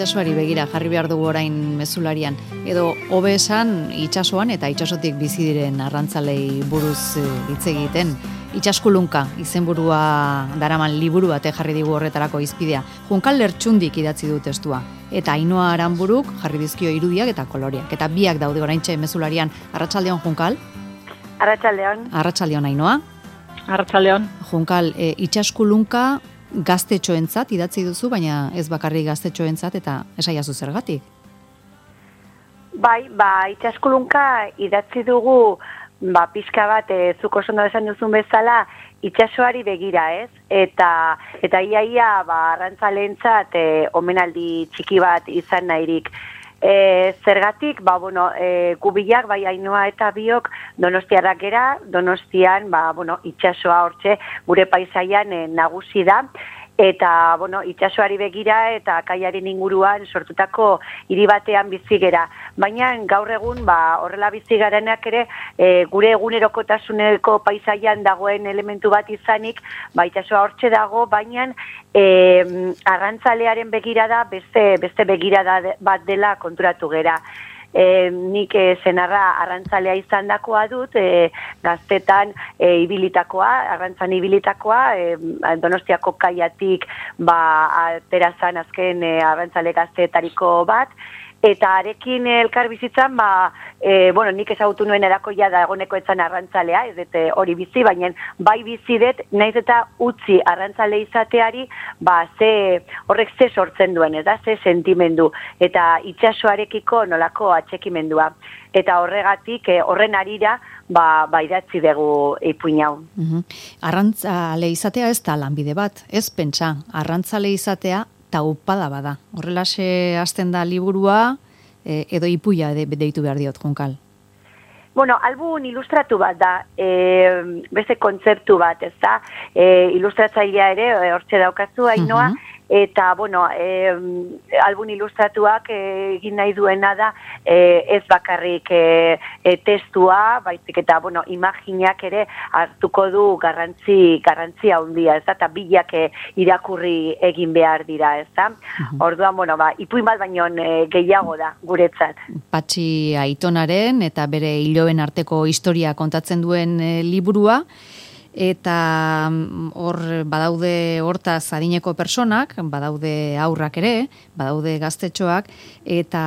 itsasoari begira jarri behar dugu orain mezularian, edo hobe esan itsasoan eta itsasotik bizi diren arrantzalei buruz hitz egiten. Itsaskulunka izenburua daraman liburu bate jarri digu horretarako izpidea. Junkal Lertxundik idatzi du testua. Eta Ainhoa Aranburuk jarri dizkio irudiak eta koloreak. Eta biak daude oraintxe mezularian. Arratsaldeon, Junkal? Arratsaldeon. Arratsaldeon, Ainhoa? Arratsaldeon. Junkal, itsaskulunka gaztetxoentzat idatzi duzu, baina ez bakarrik gaztetxoentzat, eta esaiazu zergatik? Bai, itsaskulunka idatzi dugu pizka bat, zuk oso ondo esan duzun bezala, itsasoari begira, ez? Eta iaia arrantzaleentzat omenaldi txiki bat izan nahirik. Zergatik, gu bilak, bai Ainhoa eta biok donostiarrak gera, Donostian, itsasoa hortxe gure paisaian nagusi da. Eta, itsasoari begira eta kaiaren inguruan sortutako hiri batean bizi gera. Baina gaur egun, horrela bizi garenak ere, gure egunerokotasuneko paisaian dagoen elementu bat izanik, itsasoa hortxe dago, baina arrantzalearen begirada beste begirada bat dela konturatu gera. Nik senarra arrantzalea izan dakoa dut, gaztetan ibilitakoa, arrantzan ibilitakoa, Donostiako kaiatik aterazan azken arrantzale gazteetariko bat, eta arekin elkar bizitzan, nik ezagutu nuen erakoia da egoneko etzan arrantzalea, ez dut hori bizi, baina bai bizi dut, naiz eta utzi arrantzale izateari, horrek ze sortzen duen, ez da, ze sentimendu, eta itsasoarekiko nolako atxekimendua. Eta horregatik, horren arira, idatzi dugu ipuin hau. Arrantzale izatea ez da lanbide bat, ez pentsa, arrantzale izatea taupada bada. Horrelaxe hasten da liburua, edo ipuia deitu behar diot, Junkal. Album ilustratu bat da, beste kontzeptu bat, ez da, ilustratzailea ere, hortxe daukazu, Ainhoa, eta, album ilustratuak egin nahi duena da, ez bakarrik testua, baizik eta, imaginak ere hartuko du garrantzi handia, ez da, eta bilak irakurri egin behar dira, ez da. Orduan, ipuin bat baino gehiago da, guretzat. Patxi Aitonaren eta bere hiloen arteko historia kontatzen duen liburua, eta hor badaude hortaz adineko personak, badaude haurrak ere, badaude gaztetxoak, eta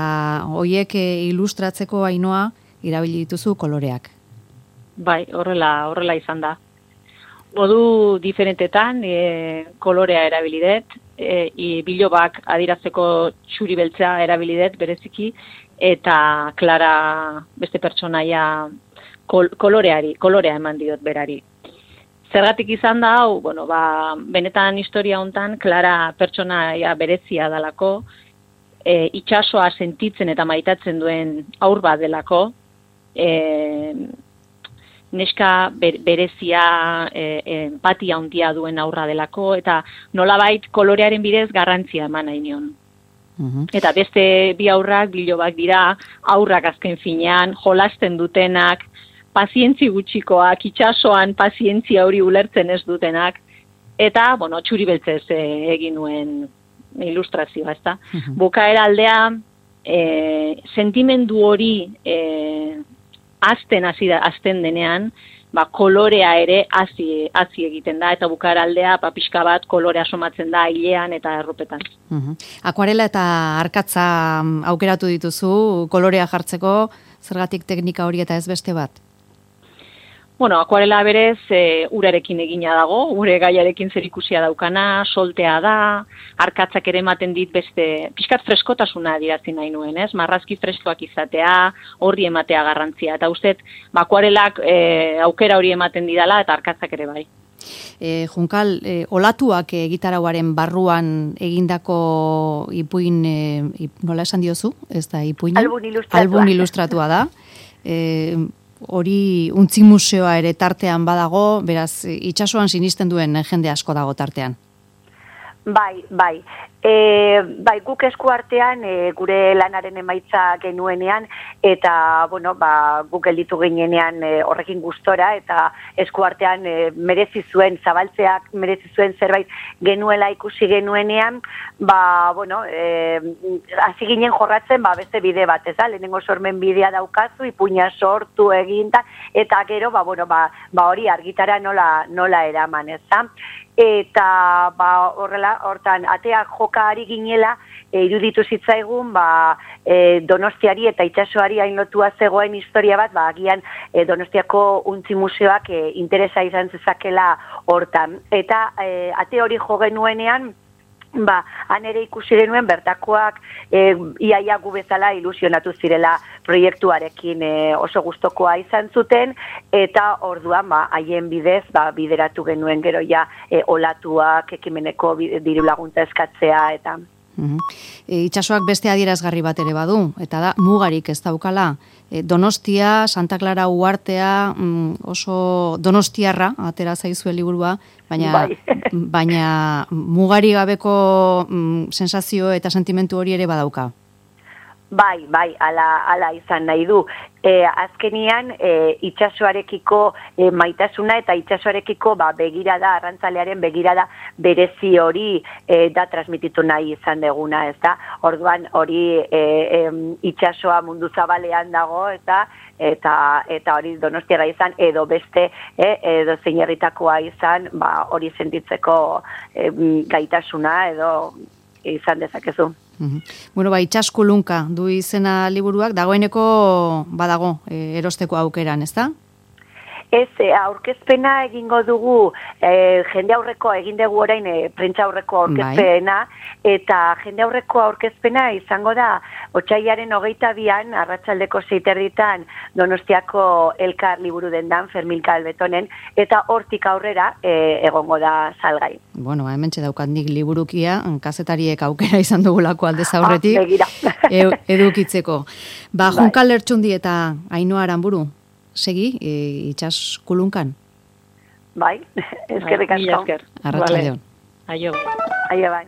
hoiek ilustratzeko, Ainhoa, irabili dituzu koloreak. Bai, horrela izan da. Modu diferentetan kolorea erabilidet, bilobak adierazteko txuri beltza erabilidet bereziki, eta Klara beste pertsonaia kolorea eman diot berari. Zergatik izan da hau, benetan historia hontan Klara pertsonaia berezia dalako, itsasoa sentitzen eta maitatzen duen haur bat delako, neska berezia empatia handia duen haurra delako, eta nolabait kolorearen bidez garrantzia eman nahi nion. Eta beste bi haurrak, bilobak dira, haurrak azken finean, jolasten dutenak, pazientzi gutxikoak, itsasoan pazientzia hori ulertzen ez dutenak, eta, txuri beltzez egin nuen ilustrazioa, ezta. Bukaera aldea, sentimendu hori azten denean, kolorea ere hazi egiten da, eta bukaera aldea, pixka bat kolorea somatzen da hilean eta erropetan. Akuarela eta arkatza aukeratu dituzu, kolorea jartzeko, zergatik teknika hori eta ez beste bat? Akuarela berez urarekin egina dago, ure gaiarekin zerikusia daukana, soltea da, arkatzak ere ematen dit beste, pixkat freskotasuna adierazten nahi nuen, ez? Marrazki freskoak izatea, horri ematea garrantzia, eta ustez, akuarelak aukera hori ematen didala, eta arkatzak ere bai. Junkal, olatuak gitarauaren barruan egindako ipuin, nola esan diozu? Ez da ipuina? Album ilustratua da. Hori untzi museoa ere tartean badago, beraz, itsasoan sinisten duen jende asko dago tartean. Bai. Bai, guk eskuartean gure lanaren emaitza genuenean, eta, bueno, guk gelditu ginenean horrekin gustora, eta eskuartean merezi zuen, zabaltzeak merezi zuen zerbait genuela ikusi genuenean, bueno, hasi ginen jorratzen, beste bide bat, ez da? Lehenengo sormen bidea daukazu, ipuina sortu eginda, eta gero, bueno, hori argitara nola eraman, ez da? Eta hortan ateak joka ari ginela, iruditu zitzaigun Donostiari eta itsasoari hain lotua zegoen historia bat, agian Donostiako Untzi Museoak interesa izan zezakela hortan. Eta ate hori jo genuenean, han ere ikusi genuen bertakoak iaia gu bezala ilusionatu zirela proiektuarekin oso gustokoa izan zuten, eta orduan haien bidez bideratu genuen gero olatuak ekimeneko diru laguntza eskatzea eta... Itsasoak beste adierazgarri bat ere badu, eta da mugarik ez daukala. Donostia, Santa Clara uhartea, oso donostiarra, atera zaizue liburua, baina mugari gabeko sensazio eta sentimentu hori ere badauka. Bai, ala izan nahi du. Azkenian, itsasoarekiko maitasuna eta itsasoarekiko begirada, arrantzalearen begirada berezi hori da transmititu nahi izan deguna, ez da? Orduan hori itsasoa mundu zabalean dago, eta hori donostiara izan, edo beste, edo zein herritakoa izan, hori sentitzeko gaitasuna, edo izan dezakezu. Bueno, Itsaskulunka du izena liburuak, dagoeneko badago erosteko aukeran, ez da? Ez, aurkezpena egingo dugu, jende aurreko egin dugu orain prentsa aurreko aurkezpena, eta jende aurreko aurkezpena izango da otsailaren 22an, arratsaldeko 6:30 Donostiako Elkar liburu dendan, Fermín Calvetonen, eta hortik aurrera egongo da salgai. Bueno, hementxe daukat nik liburukia, kazetariek aukera izan dugulako aldez aurretik, edukitzeko. Juncal Lertxundi eta Ainhoa Aranburu, segi, Itsaskulunkan? Bai, eskerrik asko. Arratsaldeon. Aio. Aio, bai.